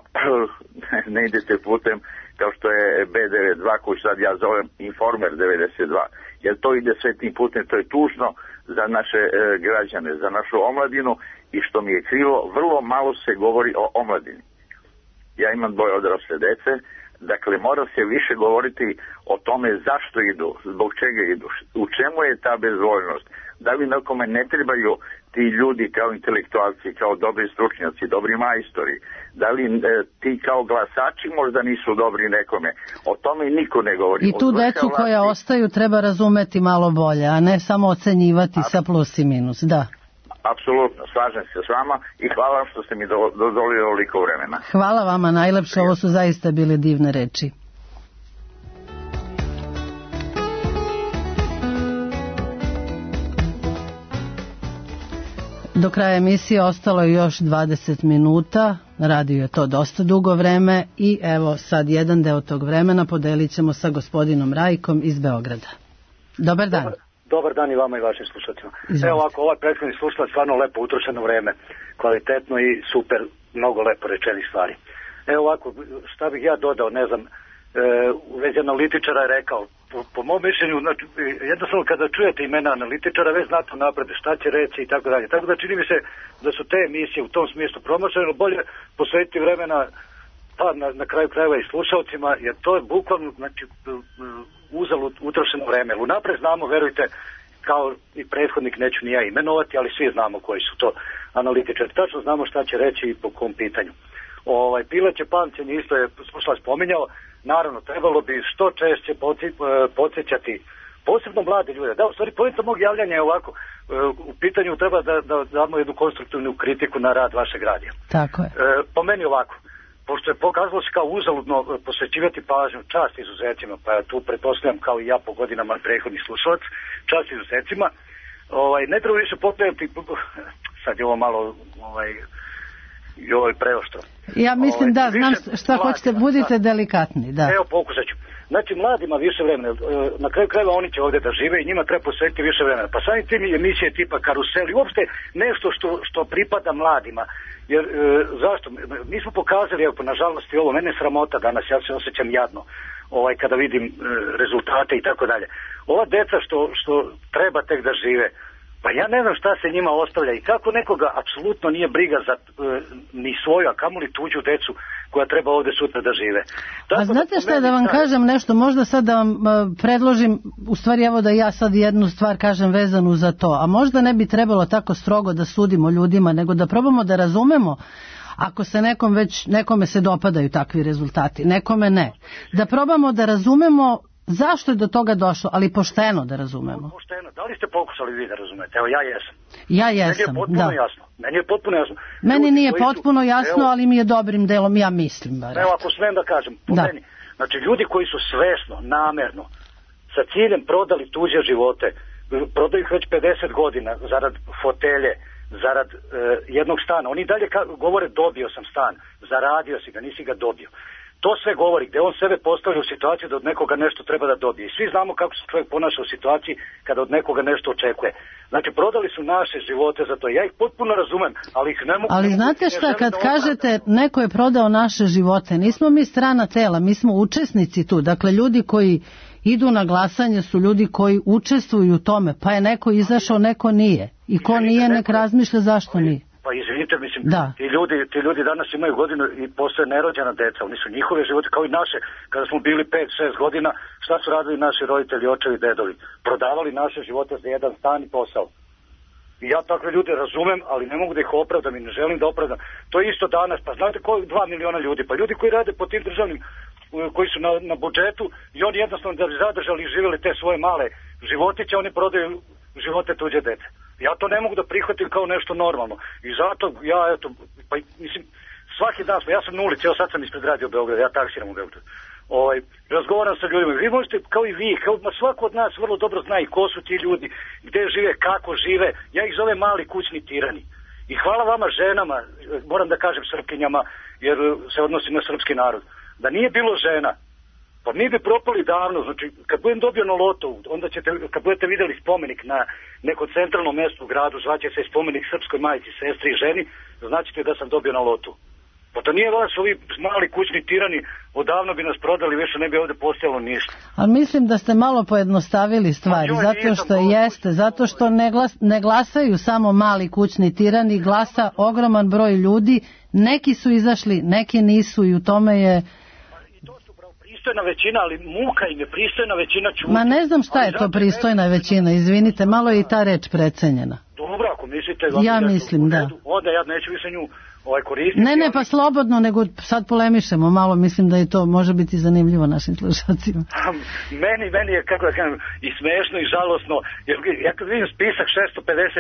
ne idete putem kao što je B92 koji sad ja zovem Informer 92. Jer to ide sve tim putem, to je tužno za naše građane, za našu omladinu i što mi je krivo, vrlo malo se govori o omladini. Ja imam dvoje odrasle dece, dakle mora se više govoriti o tome zašto idu, zbog čega idu, u čemu je ta bezvoljnost, da li nekome ne trebaju ti ljudi kao intelektualci, kao dobri stručnjaci, dobri majstori, da li ti kao glasači možda nisu dobri nekome, o tome niko ne govori. I tu decu koja ostaju treba razumeti malo bolje, a ne samo ocenjivati sa plus i minus, da. Apsolutno, slažem se s vama i hvala vam što ste mi dozvolili ovoliko vremena. Hvala vama najlepše, ovo su zaista bile divne reči. Do kraja emisije ostalo je još 20 minuta, radio je to dosta dugo vreme i evo sad jedan deo tog vremena podelit ćemo sa gospodinom Rajkom iz Beograda. Dobar dan. Dobar dan i vama i vašim slušateljima. Evo ovako, ovaj prethodni slušalac stvarno lepo utrošeno vreme, kvalitetno i super, mnogo lepo rečenih stvari. Evo ovako, šta bih ja dodao, ne znam, u vezi analitičara je rekao, po mom mišljenju, znači, jednostavno kada čujete imena analitičara, već znate napred šta će reći i tako dalje. Tako da čini mi se da su te emisije u tom smislu promošene, bolje posvetiti vremena pa na kraju krajeva i slušalcima, jer to je bukvalno, znači, uzalud utrošeno vreme. Unapred znamo, verujte, kao i prethodnik, neću ni ja imenovati, ali svi znamo koji su to analitičari. Tačno znamo šta će reći i po kom pitanju. Pileće pamćenje isto je slušalac spominjao. Naravno, trebalo bi što češće podsjećati, posebno mlade ljude. Da, u stvari, poenta mog javljanja je ovako. U pitanju treba da damo jednu konstruktivnu kritiku na rad vašeg radija. Tako je. Po meni ovako. Pošto je pokazalo se kao uzaludno posvećivati pažnju, čast izuzecima, pa ja tu pretpostavljam kao i ja po godinama prethodni slušalac, čast izuzecima, ne treba više pokrenuti, sad je ovo malo i ovo je preoštro. Ja mislim da, znam šta hoćete, budite delikatni, da. Evo, pokušat ću. Znači, mladima više vremena, na kraju krajeva oni će ovdje da žive i njima treba posvetiti više vremena. Pa samim tim emisije tipa Karusel i uopšte nešto što pripada mladima. Jer, zašto? Mi smo pokazali, evo, nažalost i ovo, mene je sramota danas, ja se osjećam jadno kada vidim rezultate i tako dalje. Ova deca što treba tek da žive, pa ja ne znam šta se njima ostavlja i kako nekoga apsolutno nije briga za ni svoju, a kamoli tuđu decu koja treba ovdje sutra da žive. A znate šta, da vam kažem nešto, možda sad da vam predložim, u stvari evo da ja sad jednu stvar kažem vezanu za to, a možda ne bi trebalo tako strogo da sudimo ljudima, nego da probamo da razumemo ako se nekome se dopadaju takvi rezultati, nekome ne. Da probamo da razumemo zašto je do toga došlo, ali pošteno da razumemo. Pošteno, da li ste pokušali vi da razumete? Evo, ja jesam. Ja jesam, da. Meni je potpuno jasno. Meni nije potpuno jasno, ali mi je dobrim delom, ja mislim. Evo, ako smem da kažem, po meni. Znači, ljudi koji su svesno, namerno, sa ciljem prodali tuđe živote, prodaju ih već 50 godina zarad fotelje, zarad jednog stana. Oni dalje govore dobio sam stan, zaradio si ga, nisi ga dobio. To sve govori gdje on sebe postavlja u situaciju da od nekoga nešto treba da dobije. I svi znamo kako se čovjek ponaša u situaciji kada od nekoga nešto očekuje. Znači, prodali su naše živote za to. Ja ih potpuno razumem, ali ih ne mogu... Ali znate šta, kad kažete neko je prodao naše živote, nismo mi strana tela, mi smo učesnici tu. Dakle, ljudi koji idu na glasanje su ljudi koji učestvuju u tome. Pa je neko izašao, neko nije. I ko nije, nek razmišlja zašto nije. Pa izvinite, mislim, ti ljudi danas imaju godinu i postoje nerođena deca, oni su njihove živote kao i naše. Kada smo bili 5-6 godina, šta su radili naši roditelji, očevi, dedovi? Prodavali naše živote za jedan stan i posao. I ja takve ljude razumem, ali ne mogu da ih opravdam i ne želim da opravdam. To je isto danas, pa znate ko je 2 miliona ljudi? Pa ljudi koji rade po tim državnim, koji su na budžetu i oni jednostavno da bi zadržali i živjeli te svoje male životiće, oni prodaju živote tuđe dece. Ja to ne mogu da prihvatim kao nešto normalno. I zato ja, eto, pa mislim, svaki dan, ja sam na ulici, evo sad sam ispred Radio Beograda, ja taksiram u Beogradu. Razgovaram sa ljudima. Vi možete, kao i vi, svako od nas vrlo dobro zna i ko su ti ljudi, gde žive, kako žive. Ja ih zovem mali kućni tirani. I hvala vama ženama, moram da kažem Srpkinjama, jer se odnosi na srpski narod. Da nije bilo žena, pa mi bi propali davno. Znači, kad budem dobio na lotu, onda ćete, kad budete vidjeli spomenik na nekom centralnom mjestu u gradu, zvaće se spomenik srpskoj majci, sestri i ženi, znaćete da sam dobio na lotu. Pa to nije vas, ovi mali kućni tirani, odavno bi nas prodali, više ne bi ovdje postojalo ništa. Ali mislim da ste malo pojednostavili stvari, zato što jeste, zato što ne glasaju samo mali kućni tirani, glasa ogroman broj ljudi, neki su izašli, neki nisu i u tome je... Pristojna većina, ali muka im je pristojna većina čuti. Ma ne znam šta je to pristojna većina, izvinite, malo je i ta reč precenjena. Dobro, ako mislite... Ja mislim, da. Onda ja neću više nju koristiti. Ne, pa slobodno, nego sad polemišemo malo, mislim da i to može biti zanimljivo našim slušacima. Meni je, kako da kažem, i smešno i žalosno, jer ja kad vidim spisak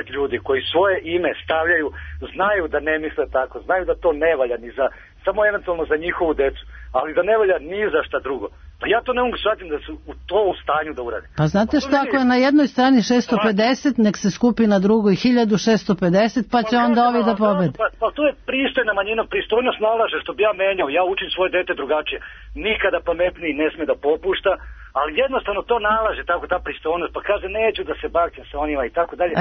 650 ljudi koji svoje ime stavljaju, znaju da ne misle tako, znaju da to ne valja ni za, samo eventualno za njihovu decu, ali da ne valja ni za šta drugo. Pa ja to ne mogu shvatiti da su to u stanju da urade. Pa znate šta, ako je na jednoj strani 650, nek se skupi na drugoj 1650, pa će onda ovi da pobede. Pa to je pristojna manjina, pristojnost nalaže, što bi ja menjao, ja učim svoje dete drugačije. Nikada pametniji ne sme da popušta, ali jednostavno to nalaže, tako ta pristojnost, pa kaže neću da se bakćem sa onima i tako dalje.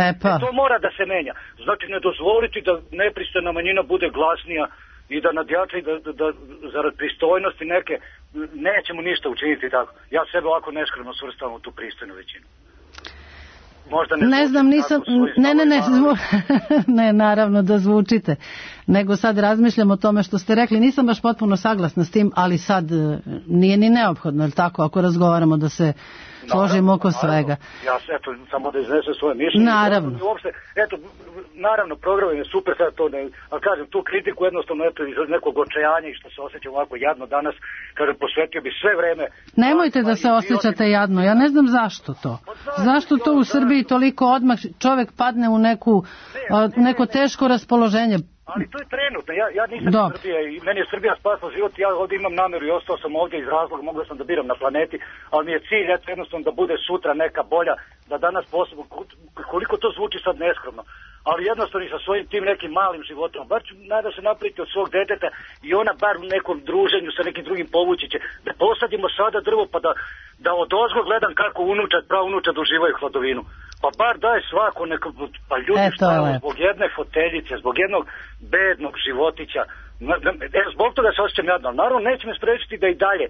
To mora da se menja. Znači ne dozvoliti da nepristojna manjina bude glasnija i da nadjača i da zarad pristojnosti neke nećemo ništa učiniti tako. Ja sebe ovako neskromno svrstavam u tu pristojnu većinu. Možda ne znam, nisam, ne, naravno da zvučite, nego sad razmišljam o tome što ste rekli, nisam baš potpuno saglasna s tim, ali sad nije ni neophodno, je li tako, ako razgovaramo da se složimo oko svega. Ja se, eto, samo da iznesem svoje mišljenje. Naravno. Uopšte, eto, naravno, program je super, sad to ne, ali kažem, tu kritiku jednostavno, eto, iz nekog očajanja i što se osjećam ovako jadno danas, kažem, posvetio bi sve vreme. Nemojte da se osjećate jadno, ja ne znam zašto to. Zašto to u Srbiji toliko odmah čovjek padne u neko teško raspoloženje? Ali to je trenutno, ja nisam iz Srbije i meni je Srbija spasla život, ja ovdje imam namjeru i ostao sam ovdje iz razloga, mogao sam da biram na planeti, ali mi je cilj jednostavno da bude sutra neka bolja, da danas posebno, koliko to zvuči sad neskromno, ali jednostavno i sa svojim tim nekim malim životom, bar ću nada se napraviti od svog deteta i ona bar u nekom druženju sa nekim drugim povući će, da posadimo sada drvo pa da odozgo gledam kako praunučad uživaju hladovinu. Pa bar daj svako neko, pa ljudi šta zbog jedne foteljice, zbog jednog bednog životića, zbog toga se osjećam jadno, naravno neće me sprečiti da i dalje,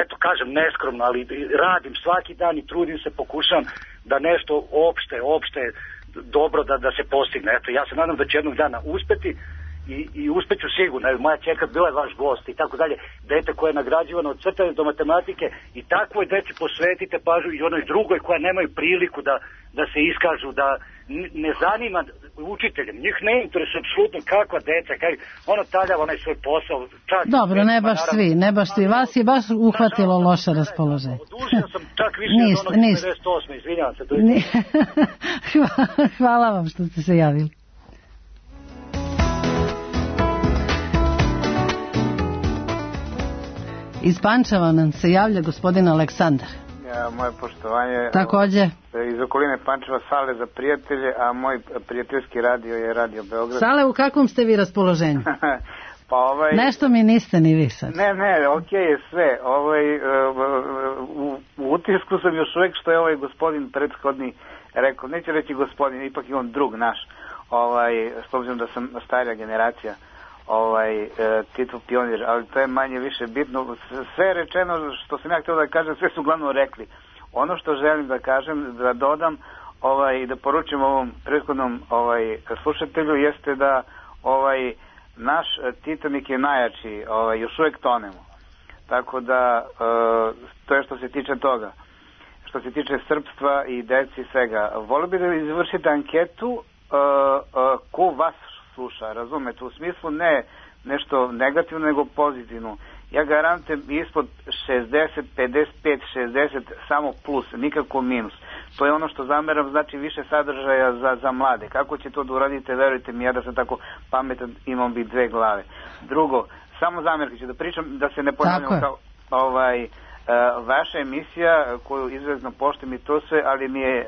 eto kažem neskromno, ali radim svaki dan i trudim se, pokušam da nešto opšte dobro da se postigne. Eto, ja se nadam da će jednog dana uspeti i uspeću sigurno. Moja ćerka bila je vaš gost i tako dalje. Dete koje je nagrađivano od crtanja do matematike i takvoj deci posvetite pažnju i onoj drugoj koja nemaju priliku da se iskažu, da ne zanima učiteljem. Njih ne interesuje apsolutno kakva deca, ono taljava onaj svoj posao. Dobro, ne baš svi. Vas je baš uhvatilo loše raspoloženje. Odužio sam čak više od onog 98. Izvinjavam se. Hvala vam što ste se javili. Iz Pančeva nam se javlja gospodin Aleksandar. Moje poštovanje. Također. Iz okoline Pančeva Sale za prijatelje, a moj prijateljski radio je Radio Beograd. Sale, u kakvom ste vi raspoloženju? Pa nešto mi niste ni vi sad. Ne, okej je sve. U utisku sam još uvijek što je ovaj gospodin prethodni rekao, neće reći gospodin, ipak je on drug naš, s obzirom da sam starija generacija. Tito pionir, ali to je manje više bitno. Sve je rečeno što sam ja htio da kažem, sve su uglavnom rekli. Ono što želim da kažem, da dodam i da poručim ovom prethodnom slušatelju jeste da naš Titanik je najjači, još uvijek tonemo. Tako da to je što se tiče toga. Što se tiče srpstva i deci i svega. Volio bih da izvršite anketu ko vas sluša, razumete, u smislu ne nešto negativno, nego pozitivno. Ja garantujem ispod 60, 55, 60, samo plus, nikako minus. To je ono što zameram, znači više sadržaja za mlade. Kako će to da uradite, verujte mi, ja da sam tako pametan, imam bi dve glave. Drugo, samo zamjerke ću da pričam, da se ne ponavljam kao vaša emisija, koju izrazno poštujem i to sve, ali mi je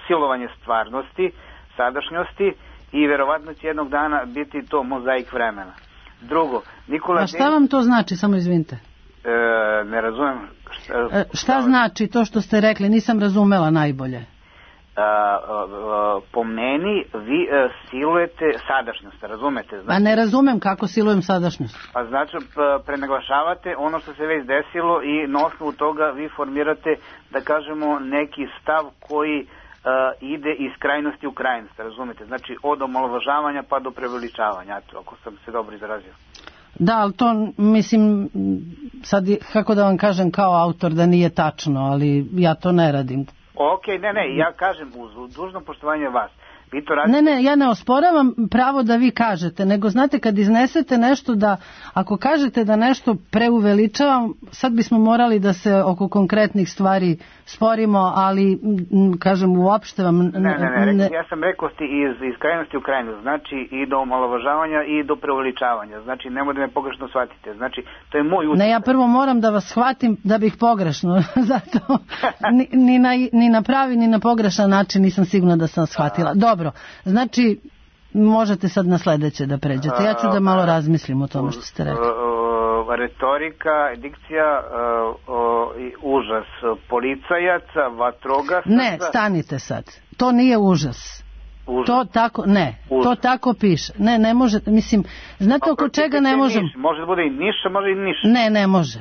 silovanje stvarnosti, sadašnjosti, i verovatno će jednog dana biti to mozaik vremena. Drugo, Nikola... A šta vam to znači, samo izvinite? Ne razumem. Šta znači to što ste rekli, nisam razumela najbolje. Po meni vi silujete sadašnjost, razumete? A ne razumem kako silujem sadašnjost. Pa znači prenaglašavate ono što se već desilo i na osnovu toga vi formirate, da kažemo, neki stav koji ide iz krajnosti u krajnost, razumete? Znači od omalovažavanja pa do preveličavanja, ako sam se dobro izrazio. Da, ali to mislim, sad kako da vam kažem kao autor da nije tačno, ali ja to ne radim. Ne, ja kažem uz dužno poštovanje vas. Vi to radite... Ne, ja ne osporavam pravo da vi kažete, nego znate kad iznesete nešto da, ako kažete da nešto preuveličavam, sad bismo morali da se oko konkretnih stvari sporimo, ali kažem uopšte vam... Ne, ja sam rekao iz krajnosti u krajnost, znači i do omalovažavanja i do preuveličavanja, znači nemoj da me pogrešno shvatite, znači to je moj utjecaj. Ne, ja prvo moram da vas shvatim da bih pogrešno, zato ni na pravi ni na pogrešan način nisam sigurna da sam shvatila. Dobro, znači možete sad na sledeće da pređete. Ja ću da malo razmislim o tome što ste rekli. Retorika, dikcija, užas policajaca, vatrogasaca... Ne, stanite sad. To nije užas. To tako, to tako piše. Ne može, mislim, znate oko čega ne možemo? Može da bude i Niš, može i Niš. Ne može.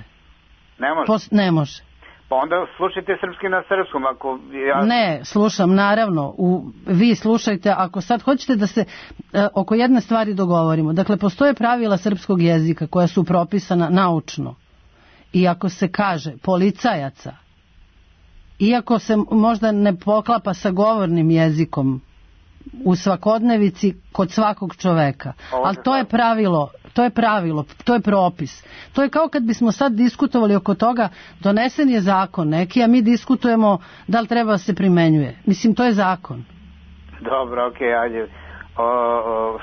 Ne može? Ne može. Pa onda slušajte srpski na srpskom, ako ja... Ne, slušam, naravno, vi slušajte, ako sad hoćete da se oko jedne stvari dogovorimo. Dakle, postoje pravila srpskog jezika koja su propisana naučno. I ako se kaže policajaca, iako se možda ne poklapa sa govornim jezikom u svakodnevici kod svakog čoveka, ali to je pravilo, to je propis. To je kao kad bismo sad diskutovali oko toga, donesen je zakon neki, a mi diskutujemo da li treba da se primenjuje. Mislim, to je zakon. Dobro, okej, ajde.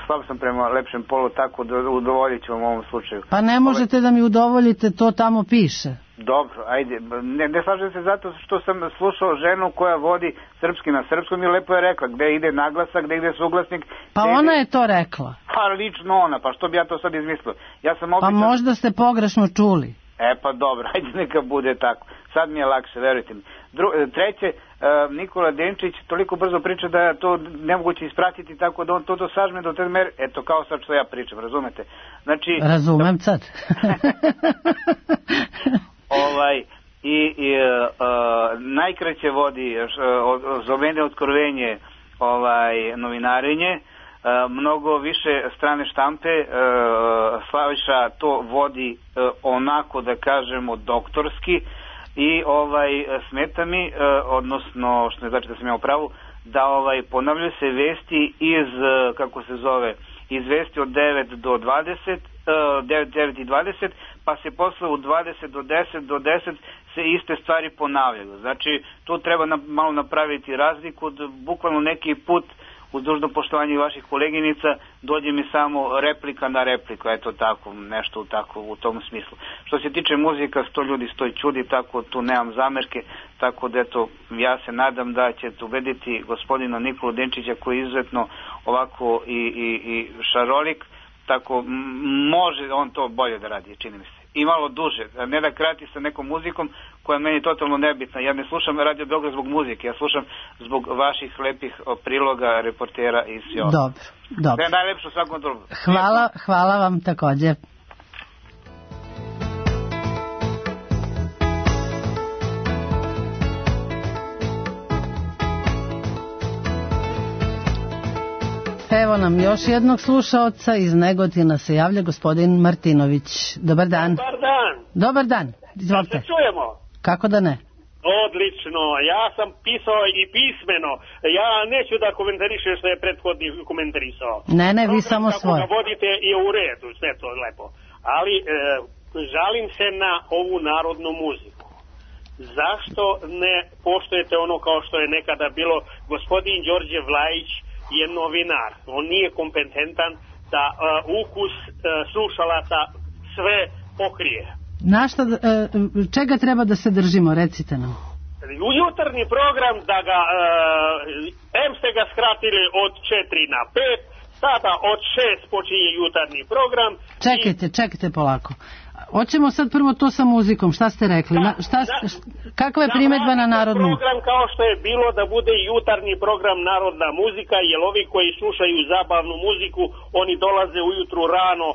Slab sam prema lepšem polu, tako da udovoljit ću vam u ovom slučaju. Pa ne možete da mi udovoljite, to tamo piše. Dobro, ajde. Ne slažem se zato što sam slušao ženu koja vodi srpski na srpskom i lepo je rekla gde ide naglasak, gde ide suglasnik. Pa ona je to rekla. Pa lično ona, pa što bi ja to sad izmislio? Pa možda ste pogrešno čuli. Pa dobro, ajde neka bude tako. Sad mi je lakše, verujte mi. Treće, Nikola Denčić toliko brzo priča da je to nemoguće ispratiti, tako da on to sažme do te mere, eto kao sad što ja pričam, razumete? Znači, razumem sad. Najkraće vodi za mene otkrovenje novinarenje, mnogo više strane štampe, Slaviša to vodi onako da kažemo doktorski i smeta mi, odnosno što ne znači da sam ja u pravu, da ponavljaju se vesti iz, kako se zove, iz vesti od 9 do 20, 9 i 20, pa se posle u 20 do 10 se iste stvari ponavljaju. Znači, tu treba malo napraviti razliku, bukvalno neki put, uz dužno poštovanje vaših koleginica, dođe mi samo replika na repliku, eto tako, nešto tako u tom smislu. Što se tiče muzika, 100 ljudi 100 čudi, tako tu nemam zamerke, tako da eto, ja se nadam da ćete ubediti gospodina Nikolu Denčića koji je izuzetno ovako i šarolik, tako može on to bolje da radi, čini mi se. I malo duže, ne da krati sa nekom muzikom koja je meni totalno nebitna. Ja ne slušam Radio Beograd zbog muzike, ja slušam zbog vaših lepih priloga, reportera i sve ovo. Dobro. Da je najlepše u svakom drugu. Hvala vam takođe. Evo nam još jednog slušaoca, iz Negotina se javlja gospodin Martinović. Dobar dan. Dobar dan, izvolite. Da se čujemo? Kako da ne? Odlično, ja sam pisao i pismeno, ja neću da komentarišem što je prethodni komentarisao. Ne, vi samo svoje. Kako ga vodite je u redu, sve to lepo. Ali žalim se na ovu narodnu muziku. Zašto ne poštujete ono kao što je nekada bilo? Gospodin Đorđe Vlajić je novinar, on nije kompetentan da ukus slušalaca sve pokrije. Čega treba da se držimo, recite nam? U jutarnji program da ga ste ga skratili od 4 na 5, sada od 6 počinje jutarnji program. Čekajte polako. Hoćemo sad prvo to sa muzikom, šta ste rekli? Kakva je primedba na narodnu? Program kao što je bilo da bude jutarnji program narodna muzika, jer ovi koji slušaju zabavnu muziku, oni dolaze ujutru rano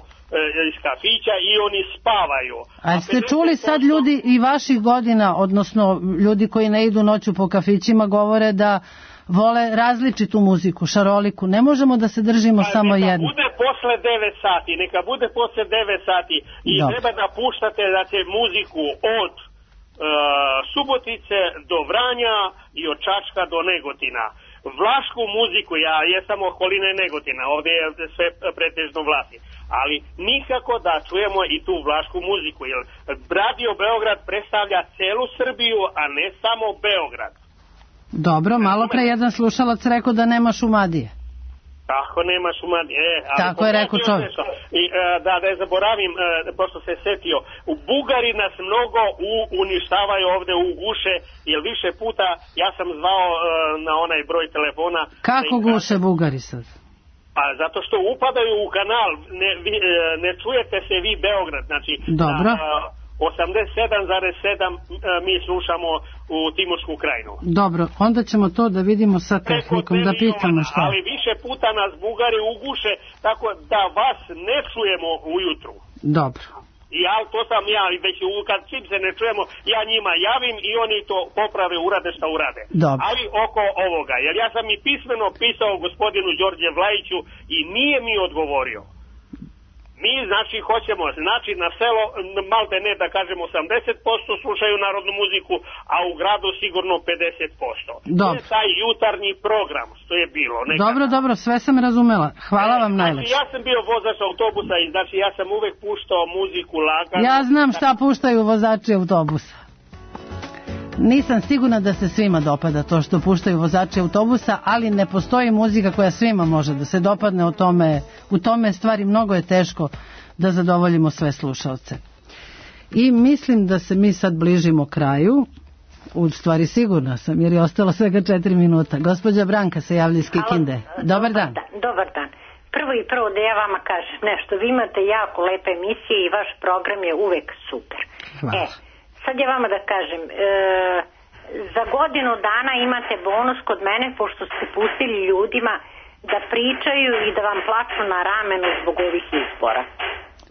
iz kafića i oni spavaju. A ste čuli sad ljudi i vaših godina, odnosno ljudi koji ne idu noću po kafićima, govore da vole različitu muziku, šaroliku. Ne možemo da se držimo samo jedno. Neka bude posle 9 sati, neka bude posle 9 sati i treba da puštate muziku od Subotice do Vranja i od Čačka do Negotina. Vlašku muziku, ja jesam okoline Negotina, ovdje je sve pretežno Vlasi, ali nikako da čujemo i tu vlašku muziku, jer Radio Beograd predstavlja celu Srbiju, a ne samo Beograd. Dobro, malo pre jedan slušalac rekao da nema Šumadije. Tako nema Šumadije. Tako je rekao čovjek. I da ne zaboravim, pošto se setio, Bugari nas mnogo uništavaju ovde u guše, jer više puta ja sam zvao na onaj broj telefona. Kako guše Bugari sad? Pa zato što upadaju u kanal, ne čujete se vi Beograd, znači dobro. 87,7 mi slušamo u Timorsku krajinu. Dobro, onda ćemo to da vidimo sa tehnikom, da pitamo šta. Ali više puta nas Bugari uguše, tako da vas ne čujemo ujutru. Dobro. Ja, to sam ja, već kad čim se ne čujemo, ja njima javim i oni to poprave, urade šta urade. Dobro. Ali oko ovoga, jer ja sam i pismeno pisao gospodinu Đorđe Vlajiću i nije mi odgovorio. Mi, znači, hoćemo, znači, na selo, malte ne da kažemo 80% slušaju narodnu muziku, a u gradu sigurno 50%. Dobro. To je taj jutarnji program, što je bilo. Nekada. Dobro, sve sam razumela. Hvala vam najlepše. Znači, ja sam bio vozač autobusa i znači, ja sam uvek puštao muziku lagano. Ja znam šta puštaju vozači autobusa. Nisam sigurna da se svima dopada to što puštaju vozači autobusa, ali ne postoji muzika koja svima može da se dopadne. U tome stvari mnogo je teško da zadovoljimo sve slušaoce. I mislim da se mi sad bližimo kraju. U stvari sigurna sam, jer je ostalo svega 4 minuta. Gospođa Branka se javlja iz Kikinde. Dobar dan. Dobar dan. Prvo da ja vama kažem nešto. Vi imate jako lepe emisije i vaš program je uvek super. Hvala. Sad ja vama da kažem, za godinu dana imate bonus kod mene, pošto ste pustili ljudima da pričaju i da vam plaču na ramenu zbog ovih izbora.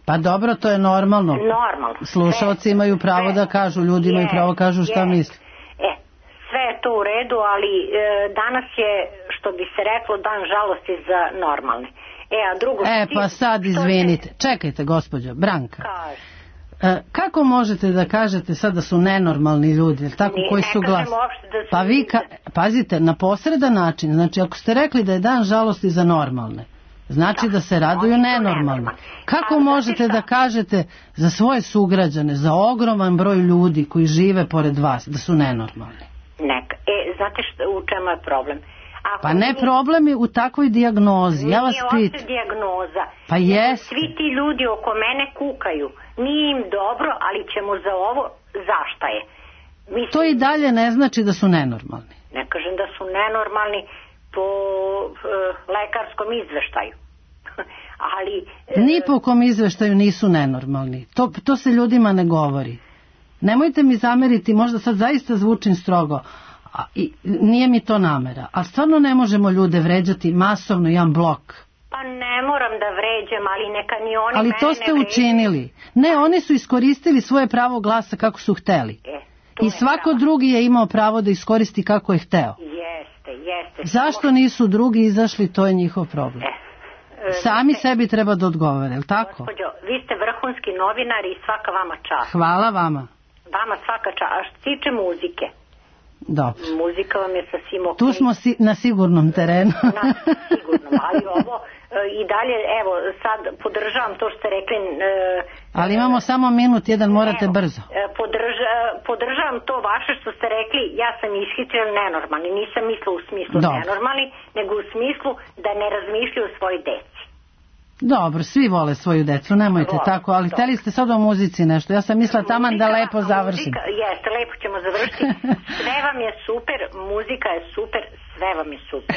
Pa dobro, to je normalno. Normalno. Slušalci imaju pravo da kažu, ljudi imaju pravo kažu šta misle. Sve je to u redu, ali danas je, što bi se reklo, dan žalosti za normalne. A drugo... pa sad izvinite. Čekajte, gospođo Branka. Kaže. Kako možete da kažete sad da su nenormalni ljudi, tako, koji su glas? Pa vi, pazite, na posredan način, znači ako ste rekli da je dan žalosti za normalne, znači da se raduju nenormalni. Kako možete da kažete za svoje sugrađane, za ogroman broj ljudi koji žive pored vas, da su nenormalni? Znate u čemu je problem? Pa ne problem je u takvoj dijagnozi, ja vas pitam. Nije uopšte dijagnoza. Pa jeste. Svi ti ljudi oko mene kukaju. Nije im dobro, ali ćemo za ovo, zašta je. To i dalje ne znači da su nenormalni. Ne kažem da su nenormalni po lekarskom izveštaju. Ali... Ni po kom izveštaju nisu nenormalni. To se ljudima ne govori. Nemojte mi zameriti, možda sad zaista zvučim strogo, nije mi to namera, ali stvarno ne možemo ljude vređati masovno, jedan blok. Pa ne moram da vređam, ali neka ni oni ali to ste učinili. Ne, oni su iskoristili svoje pravo glasa kako su hteli. I svako drugi je imao pravo da iskoristi kako je hteo. Jeste. Zašto nisu drugi izašli, to je njihov problem. Sami sebi treba da odgovore, je li tako? Gospođo, vi ste vrhunski novinar i svaka vama čast. Hvala vama. Vama svaka čast. A što se tiče muzike? Dobro. Muzika vam je sasvim ok. Tu smo na sigurnom terenu. Na sigurnom, ali ovo i dalje, evo, sad podržavam to što ste rekli. Ali imamo samo minut, jedan, morate brzo. Podržavam to vaše što ste rekli, ja sam ishitrila nenormalni. Nisam mislila u smislu nenormalni, nego u smislu da ne razmišljaju o svojoj deci. Dobro, svi vole svoju decu, nemojte tako, ali hteli ste sad o muzici nešto, ja sam mislila taman da lepo završim. Jeste, lepo ćemo završiti. Sve vam je super, muzika je super, sve vam je super.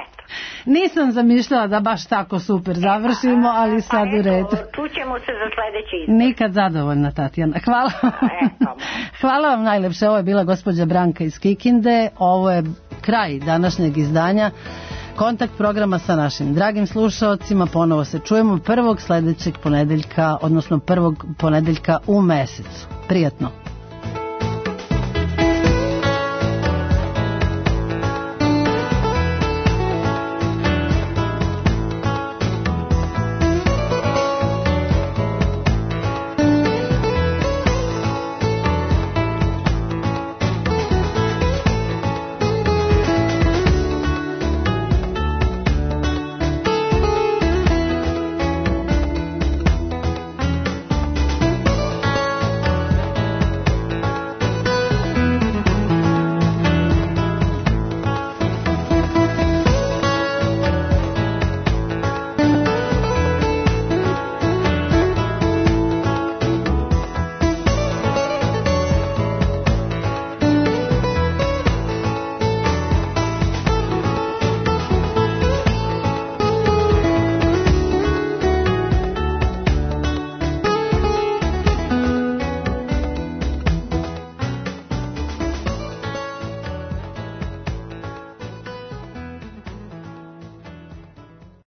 Eto. Nisam zamišljala da baš tako super završimo, ali sad u redu. Čućemo se za sledeći izbor. Nikad zadovoljna, Tatjana. Hvala. Hvala vam najlepše, ovo je bila gospođa Branka iz Kikinde, ovo je kraj današnjeg izdanja Kontakt programa sa našim dragim slušaocima. Ponovo se čujemo prvog sledećeg ponedeljka, odnosno prvog ponedeljka u mesecu. Prijatno.